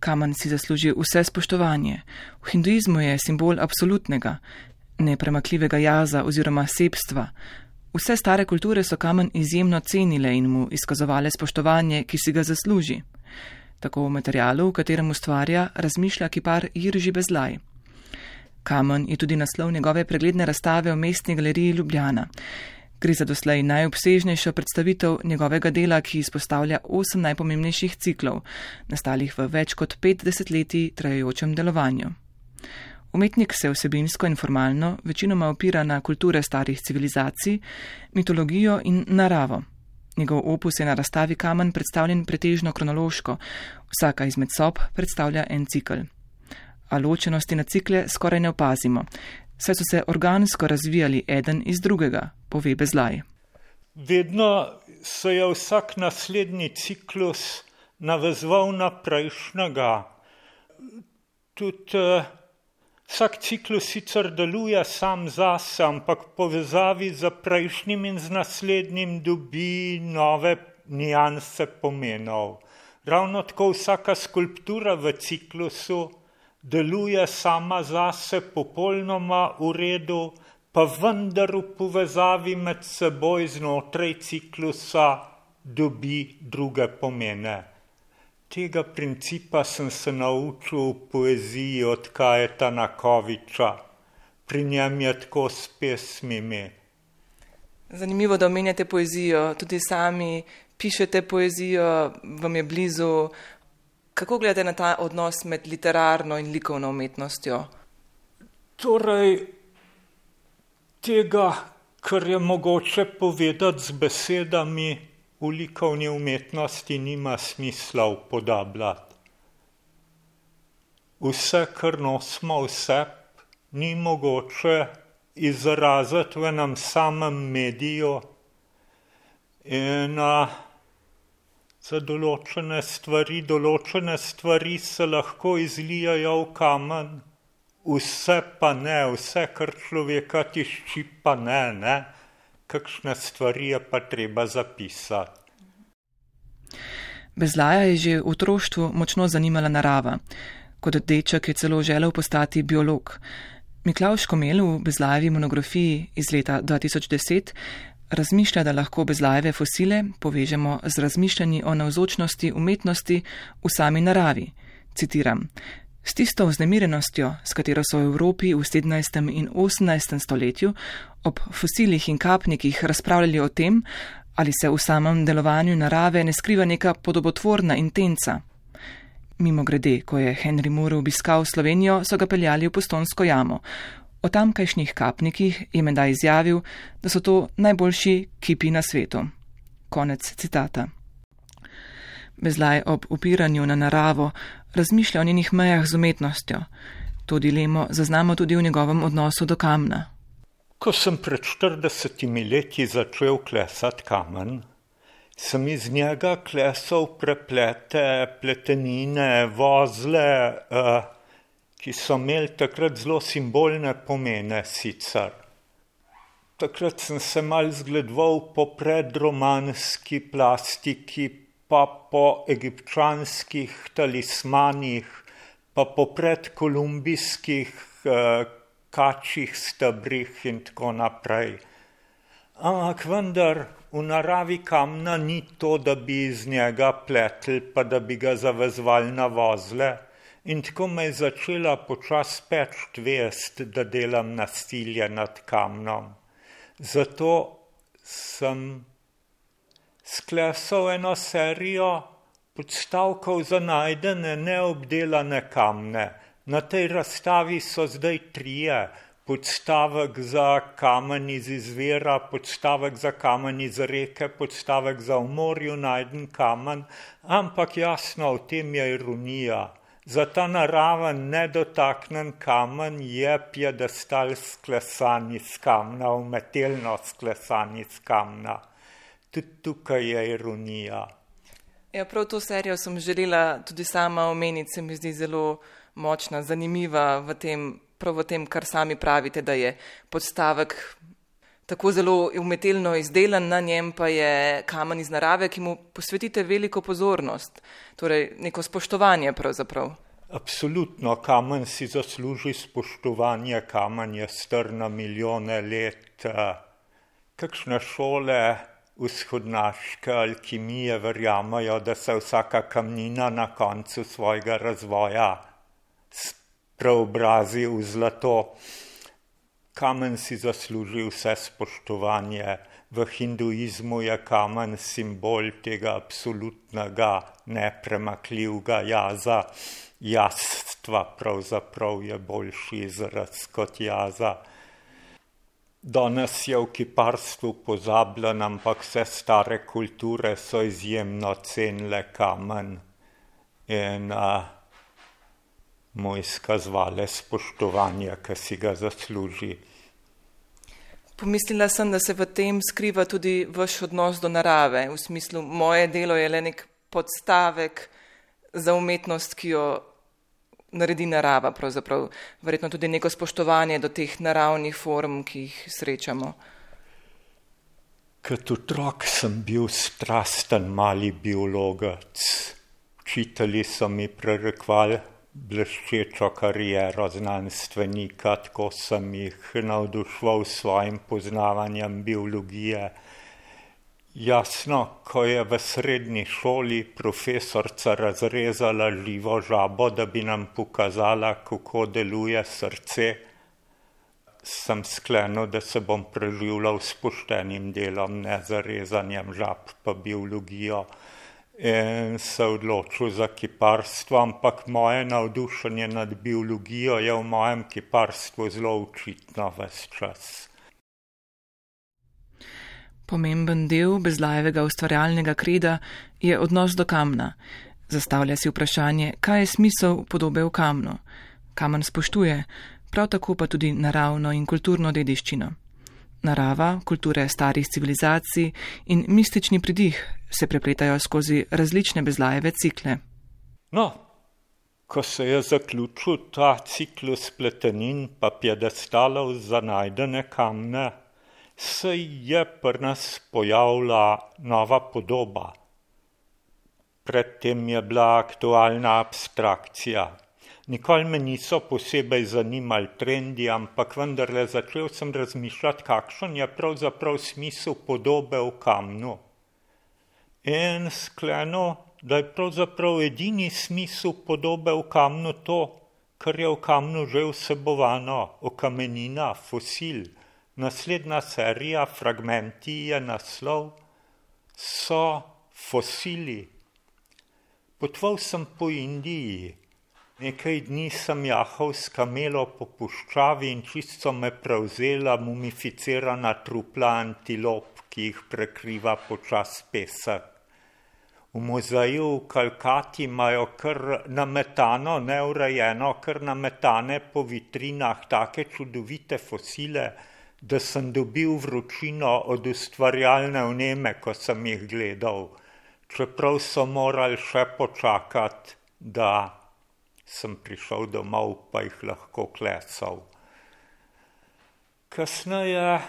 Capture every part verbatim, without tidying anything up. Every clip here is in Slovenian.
Kamen si zasluži vse spoštovanje. V hinduizmu je simbol absolutnega, nepremakljivega jaza oziroma sebstva. Vse stare kulture so kamen izjemno cenile in mu izkazovale spoštovanje, ki si ga zasluži. Tako v materialu, v katerem ustvarja, razmišlja kipar Jirži Bezlaj. Kamen je tudi naslov njegove pregledne razstave v Mestni galeriji Ljubljana. Gre za doslej najobsežnejšo predstavitev njegovega dela, ki izpostavlja osem najpomembnejših ciklov, nastalih v več kot pet desetletij trajajočem delovanju. Umetnik se vsebinsko in formalno večinoma opira na kulture starih civilizacij, mitologijo in naravo. Njegov opus je na razstavi Kamen predstavljen pretežno kronološko, vsaka izmed sob predstavlja en cikl. A ločenosti na cikle skoraj ne opazimo, saj so se organsko razvijali eden iz drugega, pove Bezlaj. Vedno se je vsak naslednji ciklus navezoval na prejšnjega. Tudi uh, vsak ciklus sicer deluje sam zase, ampak povezavi z prejšnjim in z naslednjim dobi nove nianse pomenov. Ravno tako vsaka skulptura v ciklusu deluje sama zase popolnoma v redu, pa vendar v povezavi med seboj znotraj ciklusa dobi druge pomene. Tega principa sem se naučil v poeziji od Kajeta Nakoviča. Pri njem je tako s pesmimi. Zanimivo, da omenjate poezijo. Tudi sami pišete poezijo, vam je blizu. Kako gledate na ta odnos med literarno in likovno umetnostjo? Torej, tega, kar je mogoče povedati z besedami, v likovni umetnosti nima smisla upodabljati. Vse, kar nosimo v sebi, ni mogoče izraziti v enem samem mediju in a, za določene stvari, določene stvari se lahko izlijajo v kamen, vse pa ne, vse, kar človeka tišči, pa ne, ne. Kakšne stvari je pa treba zapisati. Bezlaja je že v otroštvu močno zanimala narava. Kot deček je celo želel postati biolog. Miklavž Komelj v Bezlajevi monografiji iz leta dva tisoč deset razmišlja, da lahko Bezlajeve fosile povežemo z razmišljanji o navzočnosti umetnosti v sami naravi. Citiram: S tisto vznemirenostjo, s katero so v Evropi v sedemnajstem in osemnajstem stoletju ob fosilih in kapnikih razpravljali o tem, ali se v samem delovanju narave ne skriva neka podobotvorna intenca. Mimogrede, ko je Henry Moore obiskal Slovenijo, so ga peljali v Postojnsko jamo. O tamkajšnjih kapnikih je menda izjavil, da so to najboljši kipi na svetu. Konec citata. Bezlaj ob upiranju na naravo razmišlja o njenih mejah z umetnostjo. To dilemo zaznamo tudi v njegovem odnosu do kamna. Ko sem pred štiridesetimi leti začel klesati kamen, sem iz njega klesal preplete, pletenine, vozle, eh, ki so imeli takrat zelo simbolne pomene sicer. Takrat sem se mal zgledoval po predromanski plastiki, pa po egipčanskih talismanih, pa po predkolumbijskih eh, kačjih stebrih in tako naprej. Ampak vendar v naravi kamna ni to, da bi iz njega pletli, pa da bi ga zavezvali na vozle. In tako me je začela počas peč vest, da delam nasilje nad kamnom. Zato sem sklesal eno serijo podstavkov za najdene neobdelane kamne. Na tej razstavi so zdaj trije. Podstavek za kamen iz izvira, podstavek za kamen iz reke, podstavek za v morju najden kamen, ampak jasno, v tem je ironija. Za ta naraven nedotaknen kamen je piedestal sklesan iz kamna, umetelno sklesan iz kamna. Tudi tukaj je ironija. Ja, prav to serijo sem želela tudi sama omeniti, se mi zdi zelo močna, zanimiva v tem, prav v tem, kar sami pravite, da je podstavek tako zelo umetelno izdelan, na njem pa je kamen iz narave, ki mu posvetite veliko pozornost, torej neko spoštovanje pravzaprav. Absolutno, kamen si zasluži spoštovanje, kamen je star na milijone let. Kakšne šole vzhodnaške alkimije verjamajo, da se vsaka kamnina na koncu svojega razvoja preobrazi v zlato. Kamen si zasluži vse spoštovanje. V hinduizmu je kamen simbol tega absolutnega, nepremakljivega jaza. Jastva pravzaprav je boljši izraz kot jaza. Danes je v kiparstvu pozabljen, ampak vse stare kulture so izjemno cenile kamen in a, mu izkazovale spoštovanje, ki si ga zasluži. Pomislila sem, da se v tem skriva tudi vaš odnos do narave. V smislu, moje delo je le nek podstavek za umetnost, ki jo naredi narava, pravzaprav verjetno tudi neko spoštovanje do teh naravnih form, ki jih srečamo. Kot otrok sem bil strasten mali biologec. Učitelji so mi prerekvali bleščečo kariero znanstvenika, tako sem jih navduševal s svojim poznavanjem biologije. Jasno, ko je v srednji šoli profesorca razrezala živo žabo, da bi nam pokazala, kako deluje srce, sem sklenil, da se bom preživljal s poštenim delom, ne z rezanjem žab pa biologijo. In se odločil za kiparstvo, ampak moje navdušenje nad biologijo je v mojem kiparstvu zelo očitno ves čas. Pomemben del Bezlajevega ustvarjalnega kreda je odnos do kamna. Zastavlja si vprašanje, kaj je smisel podobe v kamnu. Kamen spoštuje, prav tako pa tudi naravno in kulturno dediščino. Narava, kulture starih civilizacij in mistični pridih se prepletajo skozi različne Bezlajeve cikle. No, ko se je zaključil ta ciklus pletenin pa piedestalov za najdene kamne, se je pri nas pojavila nova podoba. Predtem je bila aktualna abstrakcija. Nikoli me niso posebej zanimali trendi, ampak vendarle začel sem razmišljati, kakšen je pravzaprav smisel podobe v kamnu. In sklenil, da je pravzaprav edini smisel podobe v kamnu to, kar je v kamnu že vsebovano, okamenina, fosil. Naslednja serija, fragmenti je naslov, so fosili. Potoval sem po Indiji. Nekaj dni sem jahal s kamelo po puščavi in čisto me prevzela mumificirana trupla antilop, ki jih prekriva počas pesek. V muzeju v Kalkati imajo kar nametano, neurejeno, kar nametane po vitrinah take čudovite fosile, da sem dobil vročino od ustvarjalne vneme, ko sem jih gledal. Čeprav so morali še počakati, da sem prišel domov, pa jih lahko klesal. Kasneje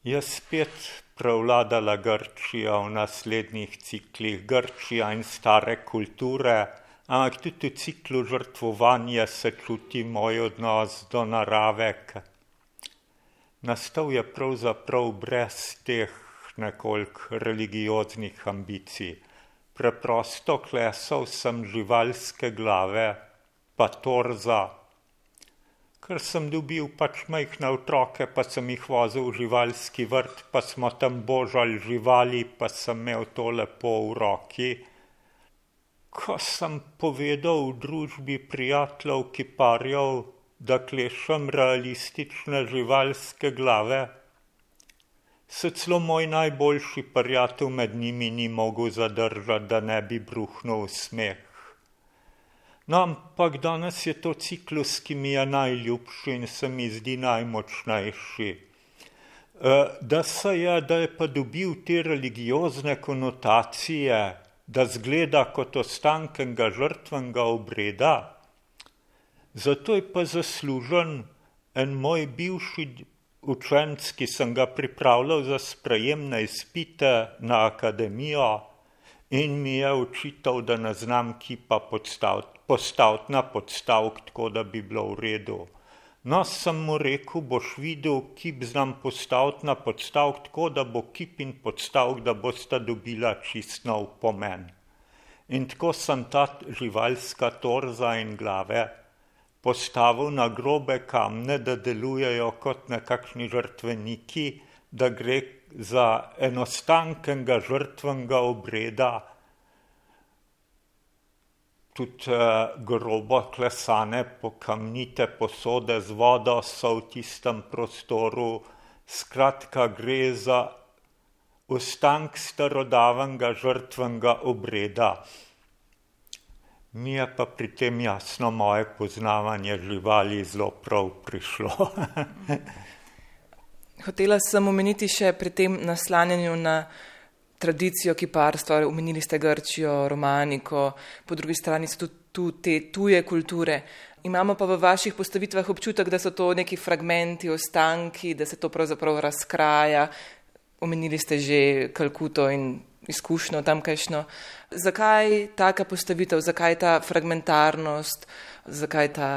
je spet prevladala Grčija v naslednjih ciklih, Grčija in stare kulture, ampak tudi v ciklu žrtvovanja se čuti moj odnos do narave. Nastal je pravzaprav brez teh nekoliko religioznih ambicij. Preprosto klesal sem živalske glave, pa torza, ker sem dobil pač majhne otroke, pa sem jih vozil v živalski vrt, pa smo tam božali živali, pa sem imel to lepo v roki. Ko sem povedal v družbi prijateljev kiparjev, da klešem realistične živalske glave, se celo moj najboljši prijatelj med njimi ni mogel zadržati, da ne bi bruhnil smeh. No, ampak danes je to ciklus, ki mi je najljubši in se mi zdi najmočnejši. Da se je, da je pa dobil te religiozne konotacije, da zgleda kot ostankenega žrtvenega obreda, zato je pa zaslužen en moj bivši učenec, ki sem ga pripravljal za sprejem na izpite na akademijo in mi je očital, da ne znam kipa postaviti, postaviti na podstavek, tako da bi bilo v redu. No, sem mu rekel, boš videl, kip znam postaviti na podstavek, tako da bo kip in podstavek, da bosta dobila čist nov pomen. In tako sem ta živalska torza in glave postavil na grobe kamne, da delujejo kot nekakšni žrtveniki, da gre za enostankenega žrtvenega obreda, tudi eh, grobo klesane pokamnite posode z vodo so v tistem prostoru. Skratka, gre za ostank starodavnega žrtvenega obreda. Mi je pa pri tem jasno moje poznavanje živali zelo prav prišlo. Hotela sem omeniti še pri tem naslanjanju na tradicijo kiparstva, omenili ste Grčijo, romaniko, po drugi strani so tudi tu te tuje kulture. Imamo pa v vaših postavitvah občutek, da so to neki fragmenti, ostanki, da se to pravzaprav razkraja. Omenili ste že Kalkuto in izkušnjo tamkajšnjo. Zakaj taka postavitev, zakaj ta fragmentarnost, zakaj ta,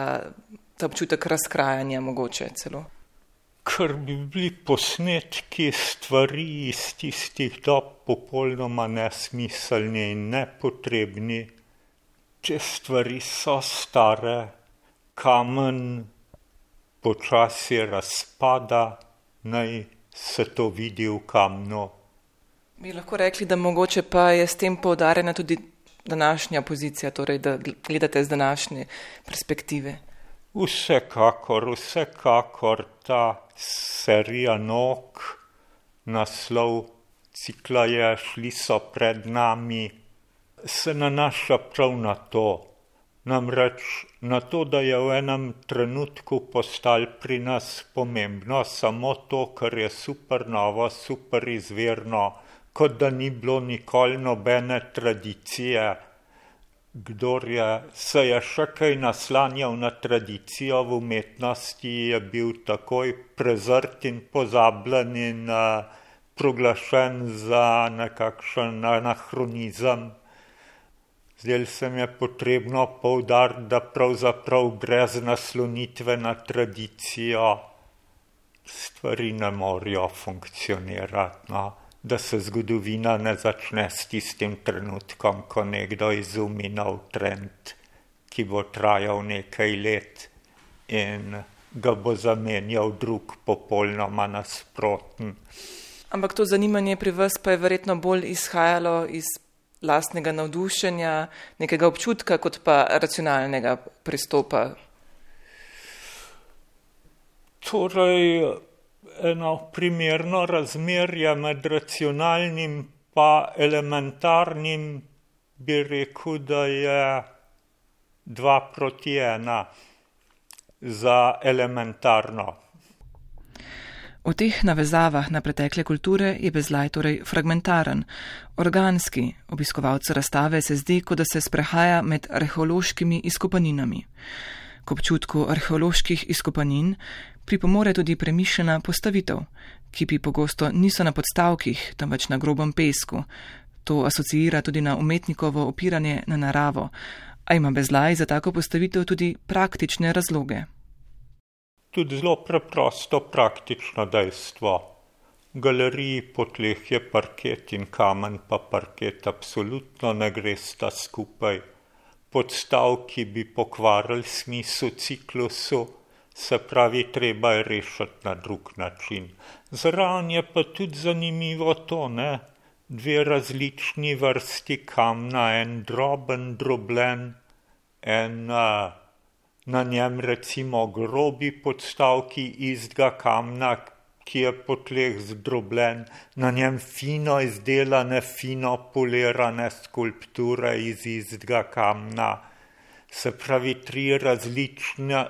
ta občutek razkrajanja mogoče celo? Ker bi bili posnetki stvari iz tistih dob popolnoma nesmiselni in nepotrebni. Te stvari so stare, kamen počasi razpada, naj se to vidi v kamnu. Bi lahko rekli, da mogoče pa je s tem poudarjena tudi današnja pozicija, torej da gledate z današnje perspektive? Vsekakor, vsekakor ta serija nog, naslov cikla je Šli so pred nami, se nanaša prav na to. Namreč na to, da je v enem trenutku postalo pri nas pomembno samo to, kar je super novo, super izvirno, kot da ni bilo nikoli nobene tradicije. Kdor je, se je še kaj naslanjal na tradicijo v umetnosti, je bil takoj prezrt in pozabljen in uh, proglašen za nekakšen anahronizem. Zdaj se mi je potrebno poudariti, da pravzaprav brez naslonitve na tradicijo stvari ne morejo funkcionirati. No? Da se zgodovina ne začne s tistim trenutkom, ko nekdo izumi nov trend, ki bo trajal nekaj let in ga bo zamenjal drug popolnoma nasproten. Ampak to zanimanje pri vas pa je verjetno bolj izhajalo iz lastnega navdušenja, nekega občutka, kot pa racionalnega pristopa. Torej, eno primerno razmerje med racionalnim pa elementarnim bi rekel, da je dva proti ena za elementarno. V teh navezavah na pretekle kulture je Bezlaj torej fragmentaren, organski. Obiskovalcu razstave se zdi, kot da se sprehaja med arheološkimi izkopaninami. K občutku arheoloških izkopanin pripomore tudi premišljena postavitev, ki pa pogosto niso na podstavkih, temveč na grobem pesku. To asociira tudi na umetnikovo opiranje na naravo, a ima Bezlaj za tako postavitev tudi praktične razloge. Tudi zelo preprosto praktično dejstvo. V galeriji po tleh je parket in kamen, pa parket absolutno ne gresta skupaj. Podstavki bi pokvarili smisel ciklusu, se pravi, treba je rešiti na drug način. Zraven je pa tudi zanimivo to, ne? Dve različni vrsti kamna, en droben, drobljen, en uh, na njem recimo grobi podstavki istega kamna, ki je po tleh zdrobljen, na njem fino izdelane, fino polirane skulpture iz istega kamna. Se pravi, tri različne,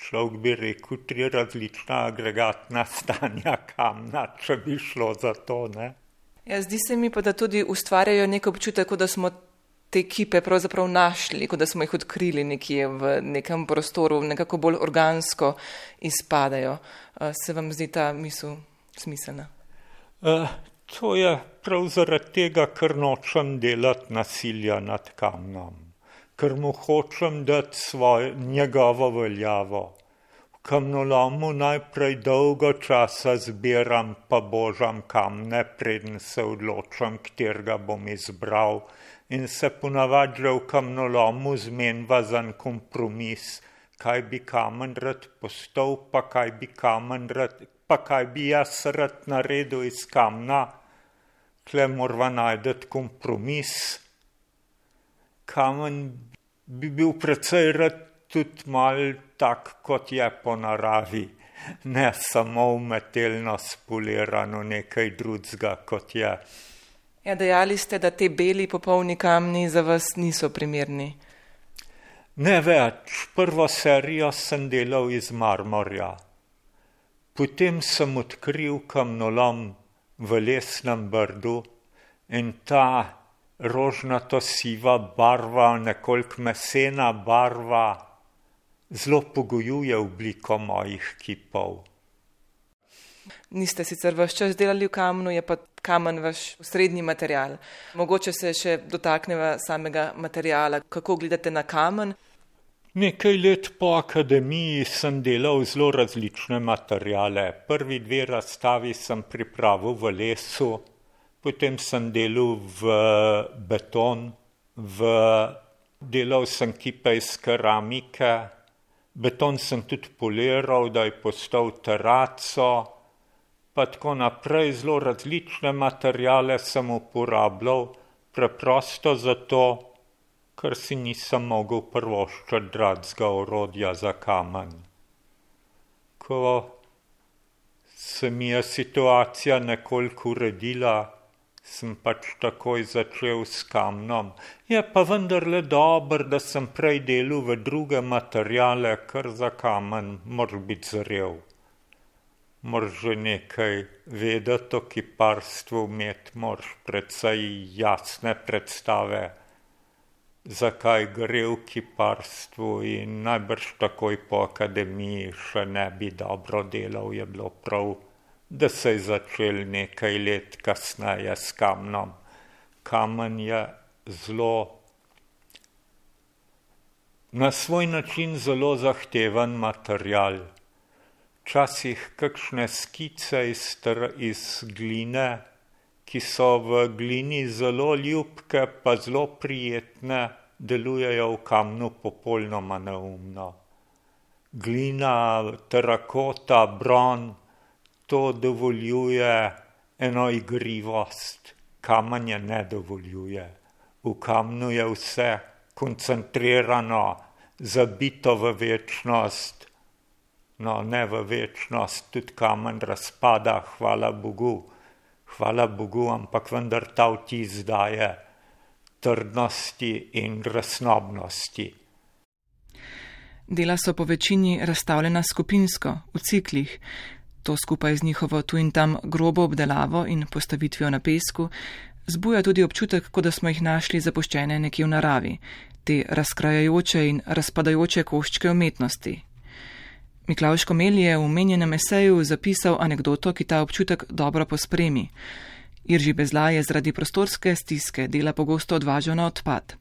človek bi rekel, tri različna agregatna stanja kamna, če bi šlo za to, ne? Ja, zdi se mi pa, da tudi ustvarjajo nek občutek, da smo te kipe pravzaprav našli, kot da smo jih odkrili nekje v nekem prostoru, nekako bolj organsko izpadajo. Se vam zdi ta misel smiselna? Uh, to je prav zaradi tega, ker nočem delati nasilja nad kamnom, ker mu hočem dati svojo, njegovo veljavo. V kamnolomu najprej dolgo časa zbiram pa božam kamne, preden se odločam, katerega bom izbral, in se ponavadi že v kamnolomu zmenva za en kompromis, kaj bi kamen rad postal, pa kaj bi kamen rad, pa kaj bi jaz rad naredil iz kamna. Tle morava najdeti kompromis. Kamen bi bil precej rad tudi malo tak, kot je po naravi, ne samo umetelno spolirano nekaj drugega, kot je. Ja, dejali ste, da te beli popolni kamni za vas niso primerni. Ne več. Prvo serijo sem delal iz marmorja. Potem sem odkril kamnolom v Lesnem Brdu in ta rožnato siva barva, nekoliko mesena barva, zelo pogojuje obliko mojih kipov. Niste sicer vaš čas delali v kamnu, je pa kamen vaš srednji material. Mogoče se še dotakneva samega materiala. Kako gledate na kamen? Nekaj let po akademiji sem delal zelo različne materiale. Prvi dve razstavi sem pripravil v lesu, potem sem delal v beton, v... delal sem kipe iz keramike, beton sem tudi poliral, da je postal teraco, pa tako naprej. Zelo različne materiale sem uporabljal, preprosto zato, ker si nisem mogel privoščiti dragega orodja za kamen. Ko se mi je situacija nekoliko uredila, sem pač takoj začel s kamnom. Je pa vendarle dobro, da sem prej delal v druge materiale, ker za kamen moraš biti zrel. Moraš že nekaj vedeti o kiparstvu, imeti moraš precej jasne predstave, zakaj gre v kiparstvu, in najbrž takoj po akademiji še ne bi dobro delal. Je bilo prav, da se je začel nekaj let kasneje s kamnom. Kamen je zelo, na svoj način zelo zahteven material. Včasih kakšne skice iz, iz gline, ki so v glini zelo ljubke, pa zelo prijetne, delujejo v kamnu popolnoma neumno. Glina, terakota, bron, to dovoljuje eno igrivost. Kamen je ne dovoljuje. V kamnu je vse koncentrirano, zabito v večnost. No, ne v večnost, tudi kamen razpada, hvala Bogu. Hvala Bogu, ampak vendar ta vtis daje trdnosti in resnobnosti. Dela so po večini razstavljena skupinsko, v ciklih. To skupaj z njihovo tu in tam grobo obdelavo in postavitvijo na pesku zbuja tudi občutek, kot da smo jih našli zapuščene nekje v naravi, te razkrajajoče in razpadajoče koščke umetnosti. Miklavž Komelj je v omenjenem eseju zapisal anekdoto, ki ta občutek dobro pospremi. Irži Bezlaj je zaradi prostorske stiske dela pogosto odvažal na odpad.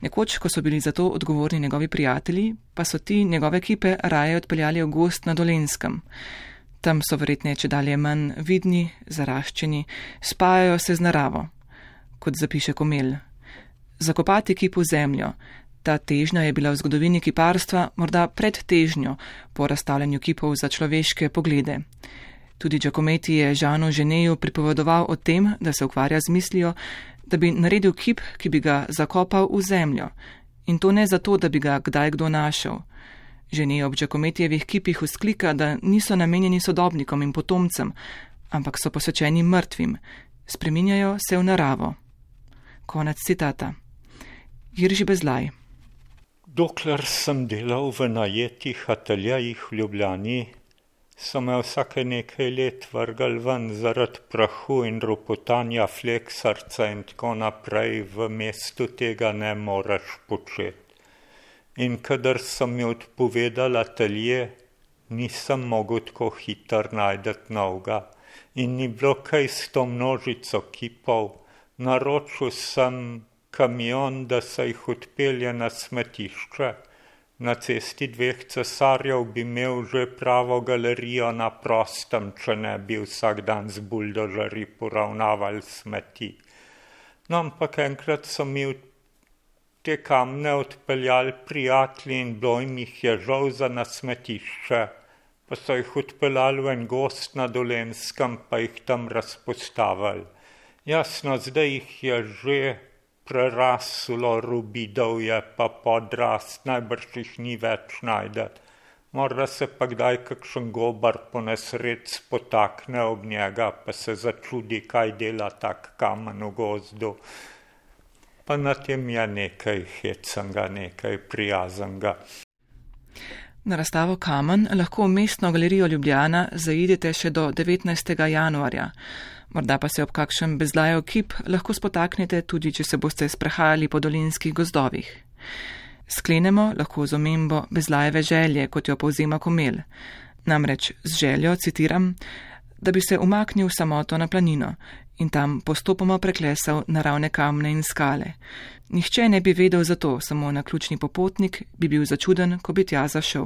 Nekoč, ko so bili za to odgovorni njegovi prijatelji, pa so ti njegove kipe raje odpeljali v gozd na Dolenjskem. Tam so verjetne čedalje manj vidni, zaraščeni, spajajo se z naravo. Kot zapiše Komelj. Zakopati kip v zemljo. Ta težnja je bila v zgodovini kiparstva morda pred težnjo po razstavljanju kipov za človeške poglede. Tudi Giacometti je Jeanu Genetu pripovedoval o tem, da se ukvarja z mislijo, da bi naredil kip, ki bi ga zakopal v zemljo. In to ne zato, da bi ga kdaj kdo našel. Genet ob Giacomettijevih kipih vzklika, da niso namenjeni sodobnikom in potomcem, ampak so posvečeni mrtvim. Spreminjajo se v naravo. Konec citata. Irži Bezlaj. Dokler sem delal v najetih ateljejih v Ljubljani, so me vsake nekaj let vrgli ven zaradi prahu in ropotanja fleksarca in tako naprej, v mestu tega ne moreš početi. In kadar so mi odpovedali atelje, nisem mogel tako hitro najdeti novega. In ni bilo kaj s to množico kipov. Naročil sem kamion, da se jih odpelje na smetišče. Na cesti dveh cesarjev bi imel že pravo galerijo na prostem, če ne bi vsak dan z buldožerji poravnavali smeti. No, ampak enkrat so mi te kamne odpeljali prijatelji in bilo jim jih je žal za na smetišče, pa so jih odpeljali v en gost na Dolenjskem, pa jih tam razpostavili. Jasno, zdaj jih je že preraslo, rubidov je pa podrast, najbrž jih ni več najdeti. Morda se pa kdaj kakšen gobar po nesreč spotakne ob njega, pa se začudi, kaj dela tak kamen v gozdu. Pa na tem je nekaj hecanga, nekaj prijaznega. Na razstavo Kamen lahko v mestno galerijo Ljubljana zaidete še do devetnajstega januarja. Morda pa se ob kakšen bezlajev kip lahko spotaknete tudi, če se boste sprehajali po dolenjskih gozdovih. Sklenemo lahko z omembo bezlajeve želje, kot jo povzema Komel. Namreč z željo, citiram, da bi se umaknil v samoto na planino in tam postopoma preklesal naravne kamne in skale. Nihče ne bi vedel za to, samo naključni popotnik bi bil začuden, ko bi tja zašel.